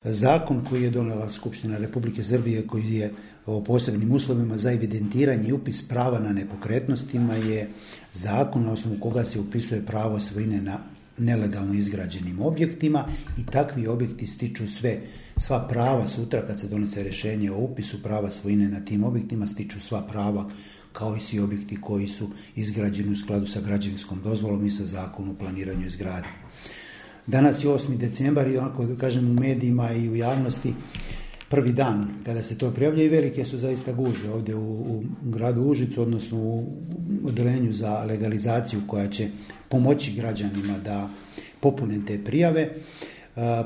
Zakon koji je donijela Skupština Republike Srbije, koji je o posebnim uslovima za evidentiranje i upis prava na nepokretnostima, je zakon na osnovu koga se upisuje pravo svojine na nelegalno izgrađenim objektima i takvi objekti stiču sva prava sutra kad se donese rješenje o upisu prava svojine na tim objektima, stiču sva prava kao i svi objekti koji su izgrađeni u skladu sa građevinskom dozvolom i sa zakonom o planiranju izgradnje. Danas je 8. decembar i onako da kažem u medijima i u javnosti prvi dan kada se to prijavlja i velike su zaista gužve ovdje u gradu Užicu, odnosno u odelenju za legalizaciju koja će pomoći građanima da popune te prijave.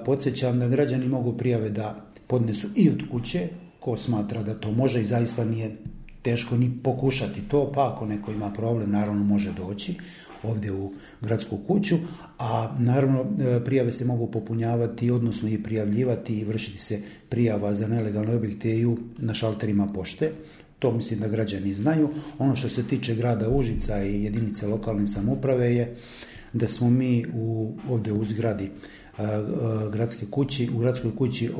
Podsjećam da građani mogu prijave da podnesu i od kuće, ko smatra da to može i zaista nije teško ni pokušati to, pa ako neko ima problem, naravno može doći ovdje u gradsku kuću, a naravno prijave se mogu popunjavati, odnosno i prijavljivati i vršiti se prijava za nelegalne objekte i na šalterima pošte. To mislim da građani znaju. Ono što se tiče grada Užica i jedinice lokalne samouprave je da smo mi ovdje u zgradi gradskoj kući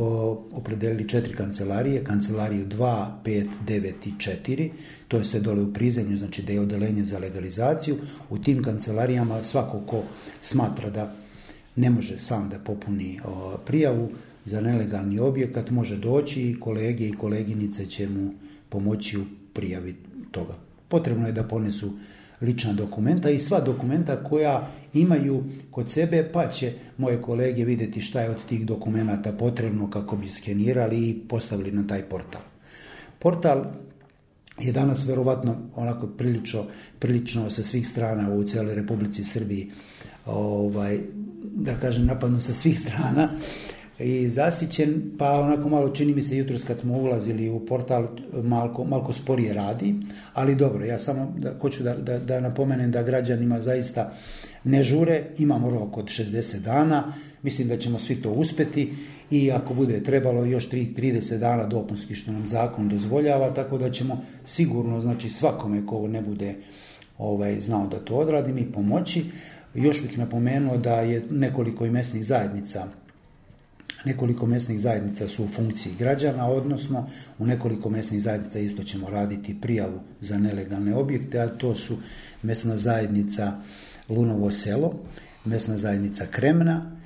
opredelili 4 kancelarije, kancelariju 2, 5, 9 i 4, to je sve dole u prizemlju, znači da je odelenje za legalizaciju. U tim kancelarijama svako ko smatra da ne može sam da popuni prijavu za nelegalni objekat može doći i kolege i koleginice će mu pomoći u prijavi toga. Potrebno je da ponesu lična dokumenta i sva dokumenta koja imaju kod sebe, pa će moje kolege vidjeti šta je od tih dokumenata potrebno kako bi skenirali i postavili na taj portal. Portal je danas verovatno onako prilično sa svih strana u cijeloj Republici Srbiji, da kažem napadno sa svih strana i zasićen, pa onako malo čini mi se jutros kad smo ulazili u portal malko sporije radi, ali dobro, ja samo hoću da napomenem da građanima zaista ne žure, imamo rok od 60 dana, mislim da ćemo svi to uspjeti i ako bude trebalo još 30 dana dopunski što nam zakon dozvoljava, tako da ćemo sigurno, znači svakome ko ne bude znao da to odradi mi pomoći. Još bih napomenuo da je nekoliko mesnih zajednica su u funkciji građana, odnosno u nekoliko mesnih zajednica isto ćemo raditi prijavu za nelegalne objekte, a to su mesna zajednica Lunovo selo, mesna zajednica Kremna,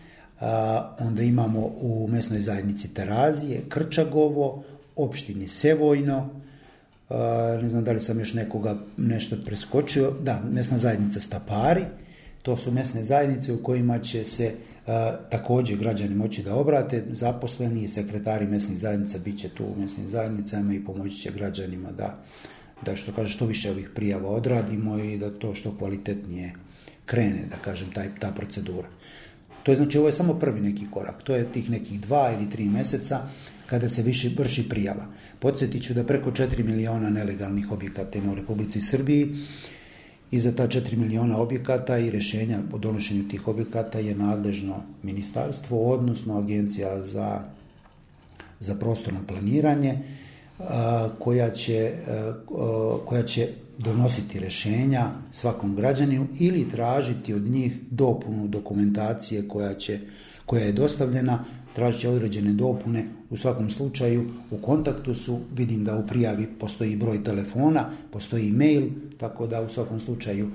onda imamo u mesnoj zajednici Terazije, Krčagovo, opštini Sevojno, ne znam da li sam još nešto preskočio, da, mesna zajednica Stapari. To su mesne zajednice u kojima će se također građani moći da obrate, zaposleni i sekretari mesnih zajednica bit će tu u mesnim zajednicama i pomoći će građanima da što više ovih prijava odradimo i da to što kvalitetnije krene, da kažem, ta procedura. To je znači, ovo je samo prvi neki korak, to je tih nekih 2 ili 3 mjeseca kada se vrši prijava. Podsjetit ću da preko 4 miliona nelegalnih objekata ima u Republici Srbiji i za ta 4 miliona objekata i rješenja o donošenju tih objekata je nadležno ministarstvo, odnosno Agencija za prostorno planiranje koja će donositi rješenja svakom građaninu ili tražiti od njih dopunu dokumentacije koja je dostavljena, tražit će određene dopune. U svakom slučaju u kontaktu su, vidim da u prijavi postoji broj telefona, postoji mail, tako da u svakom slučaju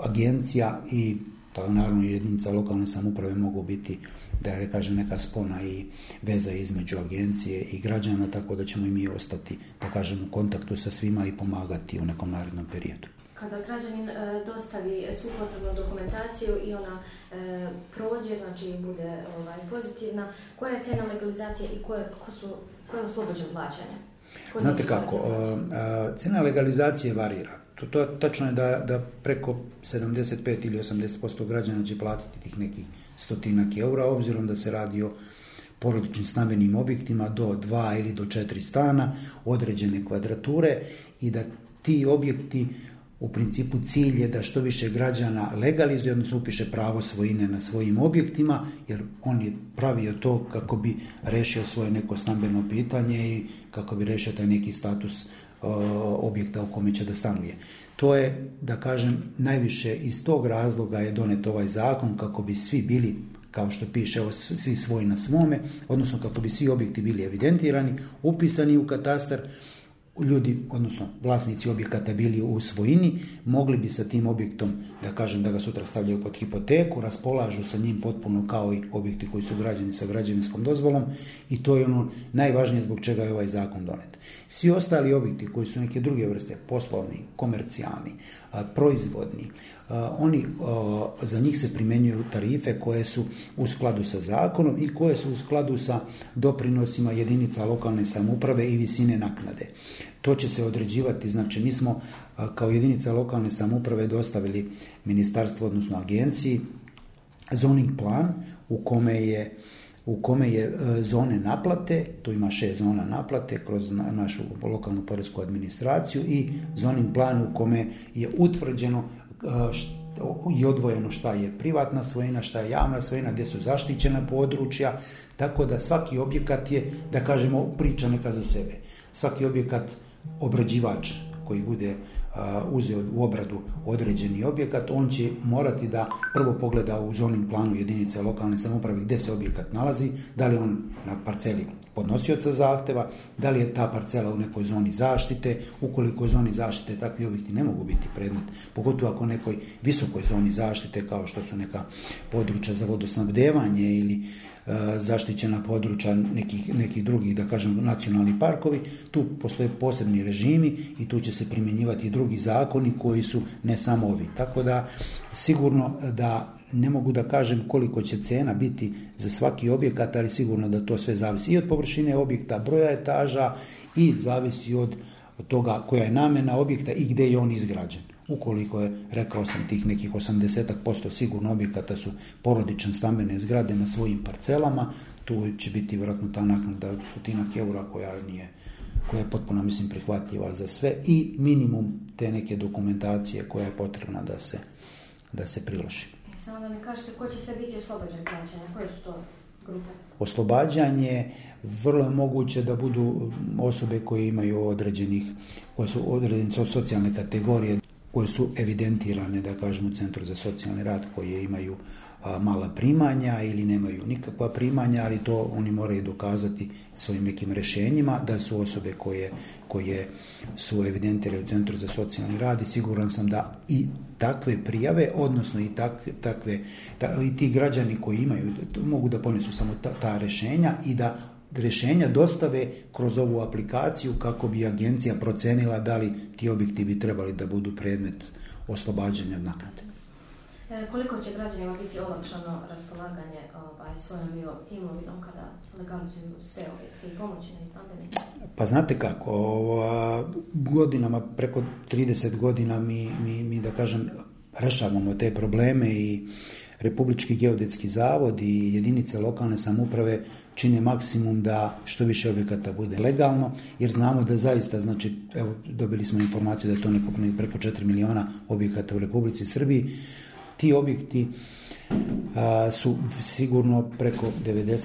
agencija i naravno jedinica lokalne samouprave mogu biti, da ne kažem, neka spona i veza između agencije i građana, tako da ćemo i mi ostati, da kažem, u kontaktu sa svima i pomagati u nekom narednom periodu. Kada građanin dostavi svu potrebnu dokumentaciju i ona prođe, znači bude pozitivna, koja je cena legalizacije i ko je oslobođen plaćanja? Znate kako, cena legalizacije varira. To tačno je da preko 75 ili 80% građana će platiti tih nekih 100 eura, obzirom da se radi o porodičnim stambenim objektima do 2 ili do 4 stana, određene kvadrature i da ti objekti u principu cilj je da što više građana legalizuje, odnosno upiše pravo svojine na svojim objektima, jer on je pravio to kako bi rešio svoje neko stambeno pitanje i kako bi rešio taj neki status objekta u kome će da stanuje. To je, da kažem, najviše iz tog razloga je donet ovaj zakon kako bi svi bili kao što piše, evo, svi svoj na svome, odnosno kako bi svi objekti bili evidentirani, upisani u katastar, ljudi, odnosno vlasnici objekata bili u svojini, mogli bi sa tim objektom, da kažem, da ga sutra stavljaju pod hipoteku, raspolažu sa njim potpuno kao i objekti koji su građeni sa građevinskom dozvolom, i to je ono najvažnije zbog čega je ovaj zakon donet. Svi ostali objekti koji su neke druge vrste, poslovni, komercijalni, proizvodni, oni, za njih se primjenjuju tarife koje su u skladu sa zakonom i koje su u skladu sa doprinosima jedinica lokalne samouprave i visine naknade. To će se određivati, znači mi smo kao jedinica lokalne samouprave dostavili ministarstvu, odnosno agenciji, zoning plan u kome je zone naplate, tu ima 6 zona naplate kroz našu lokalnu poresku administraciju, i zoning plan u kome je utvrđeno i odvojeno šta je privatna svojina, šta je javna svojina, gdje su zaštićena područja, tako da svaki objekat je, da kažemo, priča neka za sebe. Svaki objekat, obrađivač koji bude uzeo u obradu određeni objekat, on će morati da prvo pogleda u zoning planu jedinice lokalne samouprave gdje se objekat nalazi, da li on na parceli podnosioca zahteva, da li je ta parcela u nekoj zoni zaštite. Ukoliko je zoni zaštite, takvi objekti ne mogu biti predmet, pogotovo ako nekoj visokoj zoni zaštite, kao što su neka područja za vodosnabdevanje ili zaštićena područja nekih drugih, da kažem, nacionalni parkovi. Tu postoje posebni režimi i tu će se primjenjivati i drugi zakoni koji su ne samo ovi. Tako da sigurno da ne mogu da kažem koliko će cena biti za svaki objekat, ali sigurno da to sve zavisi i od površine objekta, broja etaža, i zavisi od toga koja je namjena objekta i gdje je on izgrađen. Ukoliko je, rekao sam, tih nekih 80% sigurno objekata su porodične stambene zgrade na svojim parcelama, tu će biti vjerojatno ta naknada od 100 eura koja je potpuno, mislim, prihvatljiva za sve, i minimum te neke dokumentacije koja je potrebna da se priloži. Samo da mi kažete, ko će sve biti oslobođen plaćanja? Koje su to grupe? Oslobađanje, vrlo je moguće da budu osobe koje imaju koje su određene socijalne kategorije, koje su evidentirane, da kažem, u Centru za socijalni rad, koje imaju mala primanja ili nemaju nikakva primanja, ali to oni moraju dokazati svojim nekim rješenjima da su osobe koje su evidentirane u Centru za socijalni rad, i siguran sam da i takve prijave, odnosno i i ti građani koji imaju, mogu da ponesu samo ta rješenja i da rješenja dostave kroz ovu aplikaciju kako bi agencija procenila da li ti objekti bi trebali da budu predmet oslobađanja od naknade. Koliko će građanima biti olakšano raspolaganje svojom imovinom kada legalizuju sve objekte i pomoćne i stambene? Pa znate kako, godinama, preko 30 godina mi da kažem, rešavamo te probleme, i Republički geodetski zavod i jedinice lokalne samouprave čine maksimum da što više objekata bude legalno, jer znamo da zaista, znači, evo, dobili smo informaciju da je to preko 4 miliona objekata u Republici Srbiji. Ti objekti su sigurno preko 90%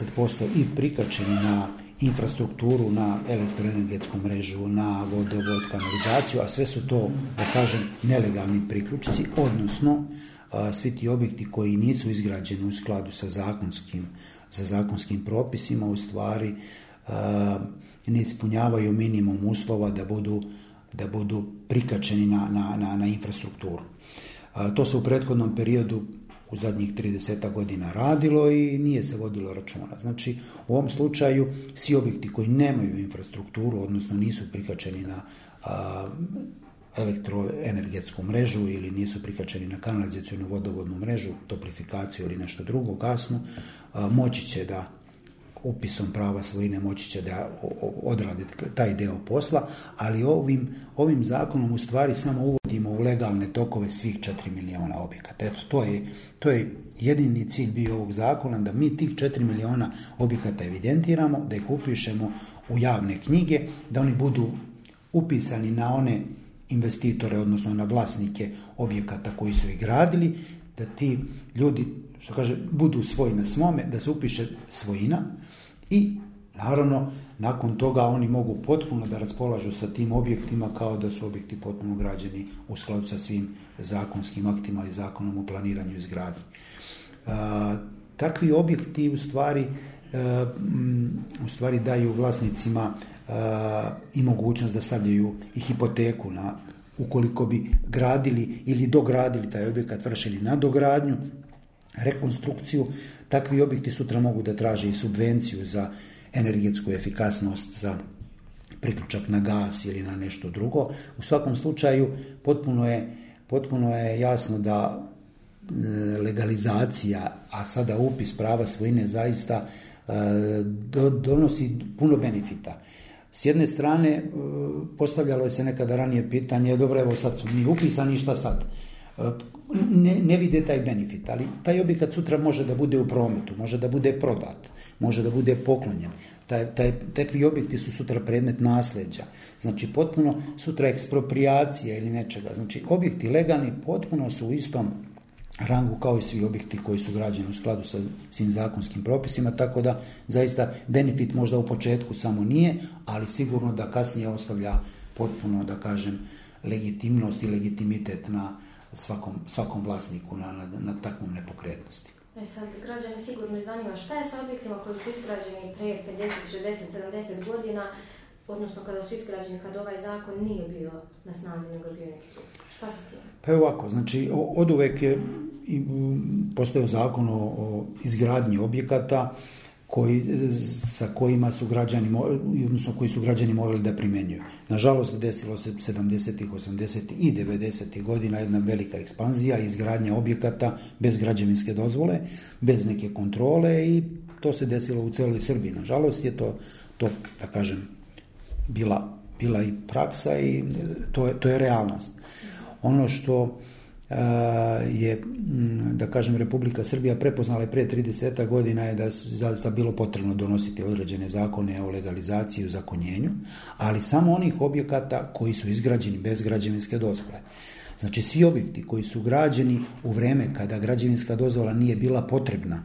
i prikačeni na infrastrukturu, na elektroenergetsku mrežu, na vodovod, kanalizaciju, a sve su to, da kažem, nelegalni priključci, odnosno svi ti objekti koji nisu izgrađeni u skladu sa zakonskim propisima, u stvari ne ispunjavaju minimum uslova da budu prikačeni na infrastrukturu. To se u prethodnom periodu u zadnjih 30 godina radilo i nije se vodilo računa. Znači, u ovom slučaju svi objekti koji nemaju infrastrukturu, odnosno nisu prikačeni na elektroenergetsku mrežu ili nisu prikačeni na kanalizacijnu vodovodnu mrežu, toplifikaciju ili nešto drugo, gasnu, moći će da upisom prava svojine moći će da odrade taj deo posla, ali ovim zakonom u stvari samo uvodimo u legalne tokove svih 4 miliona objekata. Eto, to je jedini cilj bio ovog zakona, da mi tih 4 miliona objekata evidentiramo, da ih upišemo u javne knjige, da oni budu upisani na one investitore, odnosno na vlasnike objekata koji su ih gradili, da ti ljudi, što kaže, budu svoji na svome, da se upiše svojina i naravno nakon toga oni mogu potpuno da raspolažu sa tim objektima kao da su objekti potpuno građeni u skladu sa svim zakonskim aktima i zakonom o planiranju i izgradnji. takvi objekti u stvari daju vlasnicima i mogućnost da stavljaju i hipoteku ukoliko bi gradili ili dogradili taj objekat, vršili nadogradnju, rekonstrukciju. Takvi objekti sutra mogu da traže i subvenciju za energetsku efikasnost, za priključak na gas ili na nešto drugo. U svakom slučaju potpuno je jasno da legalizacija, a sada upis prava svojine zaista donosi puno benefita. S jedne strane, postavljalo se nekada ranije pitanje, dobro, evo sad su mi upisani, šta sad? Ne vide taj benefit, ali taj objekat sutra može da bude u prometu, može da bude prodat, može da bude poklonjen. Takvi objekti su sutra predmet nasleđa. Znači, potpuno sutra eksproprijacija ili nečega. Znači, objekti legalni potpuno su u istom rangu kao i svi objekti koji su građeni u skladu sa svim zakonskim propisima, tako da zaista benefit možda u početku samo nije, ali sigurno da kasnije ostavlja potpuno, da kažem, legitimnost i legitimitet na svakom vlasniku na takvom nepokretnosti. Sad, građani sigurno zanima šta je sa objektima koji su izgrađeni pre 50, 60, 70 godina, odnosno kada su izgrađeni, kad ovaj zakon nije bio na snazi, nego bio neki drugi. Šta se tim? Pa je ovako, znači oduvek je postojao zakon o izgradnji objekata koji su građani morali da primjenjuju. Nažalost, desilo se 70. 80. i 90. godina jedna velika ekspanzija, izgradnja objekata bez građevinske dozvole, bez neke kontrole, i to se desilo u celoj Srbiji. Nažalost je to da kažem, bila i praksa i to je realnost. Ono što je, da kažem, Republika Srbija prepoznala pre 30 godina je da je zaista bilo potrebno donositi određene zakone o legalizaciji i uzakonjenju, ali samo onih objekata koji su izgrađeni bez građevinske dozvole. Znači, svi objekti koji su građeni u vreme kada građevinska dozvola nije bila potrebna,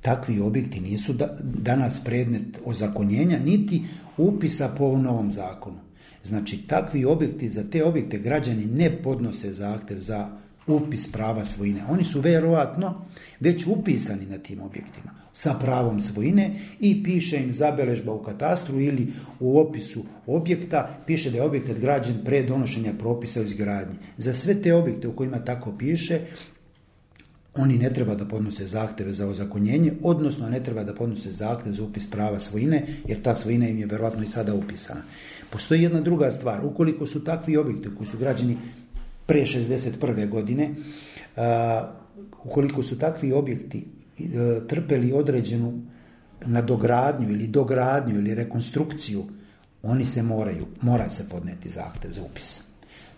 takvi objekti nisu danas predmet ozakonjenja niti upisa po novom zakonu. Znači, takvi objekti, za te objekte građani ne podnose zahtev za upis prava svojine. Oni su verovatno već upisani na tim objektima sa pravom svojine i piše im zabeležba u katastru ili u opisu objekta, piše da je objekat građen pre donošenja propisa o izgradnji. Za sve te objekte u kojima tako piše, oni ne treba da podnose zahteve za ozakonjenje, odnosno ne treba da podnose zahtev za upis prava svojine, jer ta svojina im je verovatno i sada upisana. Postoji jedna druga stvar. Ukoliko su takvi objekti koji su građeni pre 61. godine, ukoliko su takvi objekti trpeli određenu nadogradnju ili dogradnju ili rekonstrukciju, oni se mora se podneti zahtev za upis.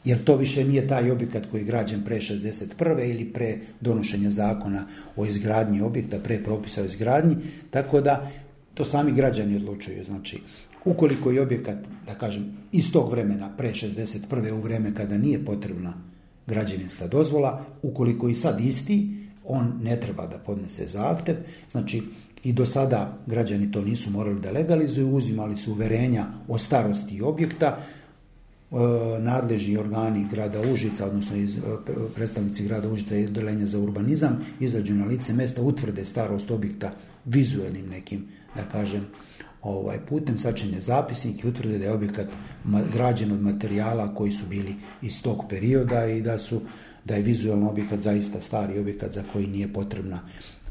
Jer to više nije taj objekat koji je građen pre 61. ili pre donošenja zakona o izgradnji objekta, pre propisa o izgradnji, tako da to sami građani odlučuju. Znači, ukoliko je objekat, da kažem, iz tog vremena, pre 61. u vreme kada nije potrebna građevinska dozvola, ukoliko i sad isti, on ne treba da podnese zahtev. Znači, i do sada građani to nisu morali da legalizuju, uzimali su uverenja o starosti objekta, nadležni organi grada Užica, odnosno predstavnici grada Užica i odeljenja za urbanizam, izađu na lice mesta, utvrde starost objekta vizuelnim nekim, da kažem, putem, sačine zapisnik i utvrde da je objekat građen od materijala koji su bili iz tog perioda i da je vizuelno objekat zaista stari objekat za koji nije potrebna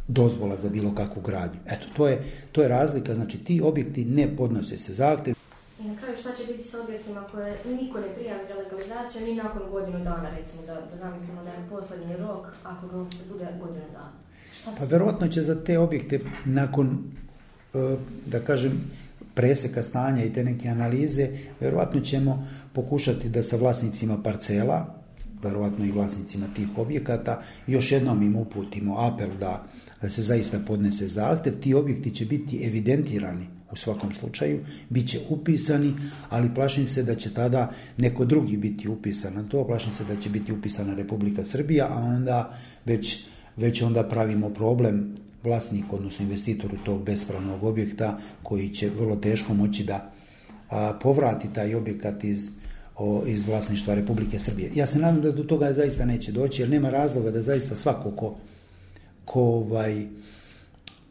dozvola za bilo kakvu gradnju. Eto, to je razlika. Znači, ti objekti ne podnose se zahtev. I na kraju, šta će biti sa objektima koje niko ne prijavi za legalizaciju, ni nakon godinu dana, recimo, da zamislimo da je posljednji rok, ako ga bude godinu dana? Pa verovatno će za te objekte nakon, da kažem, preseka stanja i te neke analize, verovatno ćemo pokušati da sa vlasnicima parcela, verovatno i vlasnicima tih objekata, još jednom im uputimo apel da se zaista podnese zahtev. Ti objekti će biti evidentirani u svakom slučaju, bit će upisani, ali plašim se da će tada neko drugi biti upisan na to, plašim se da će biti upisana Republika Srbija, a onda već onda pravimo problem vlasniku, odnosno investitoru tog bespravnog objekta, koji će vrlo teško moći da povrati taj objekat iz vlasništva Republike Srbije. Ja se nadam da do toga zaista neće doći, jer nema razloga da zaista svako ko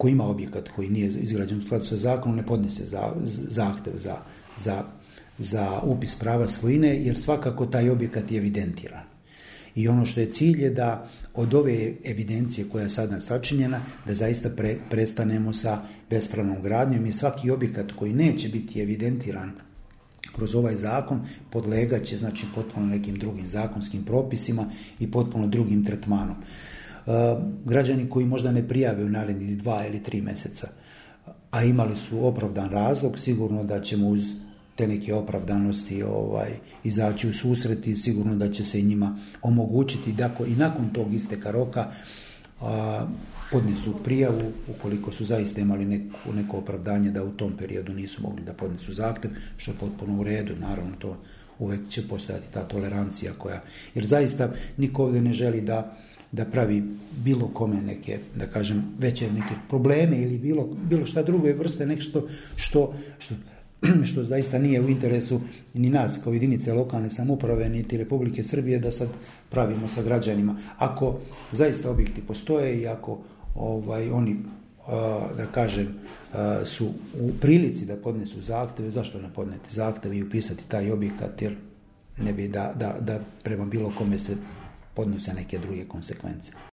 ko ima objekat koji nije izgrađen u skladu sa zakonom ne podnese zahtev za upis prava svojine, jer svakako taj objekat je evidentiran. I ono što je cilj je da od ove evidencije koja je sada sačinjena, da zaista prestanemo sa bespravnom gradnjom i svaki objekat koji neće biti evidentiran kroz ovaj zakon podlegaće znači potpuno nekim drugim zakonskim propisima i potpuno drugim tretmanom. Građani koji možda ne prijave u narednih 2 ili 3 mjeseca, a imali su opravdan razlog, sigurno da ćemo uz te neke opravdanosti izaći u susret i sigurno da će se i njima omogućiti da i nakon tog isteka roka podnesu prijavu ukoliko su zaista imali neko opravdanje da u tom periodu nisu mogli da podnesu zahtjev, što je potpuno u redu, naravno to uvijek će postojati ta tolerancija jer zaista niko ovdje ne želi da pravi bilo kome neke, da kažem, veće neke probleme ili bilo šta druge vrste, nešto što zaista nije u interesu ni nas kao jedinice lokalne samouprave niti Republike Srbije da sad pravimo sa građanima. Ako zaista objekti postoje i ako oni da kažem su u prilici da podnesu zahtjeve, zašto ne podneti zahtjeve i upisati taj objekat, jer ne bi da prema bilo kome se podnose neke druge konsekvence.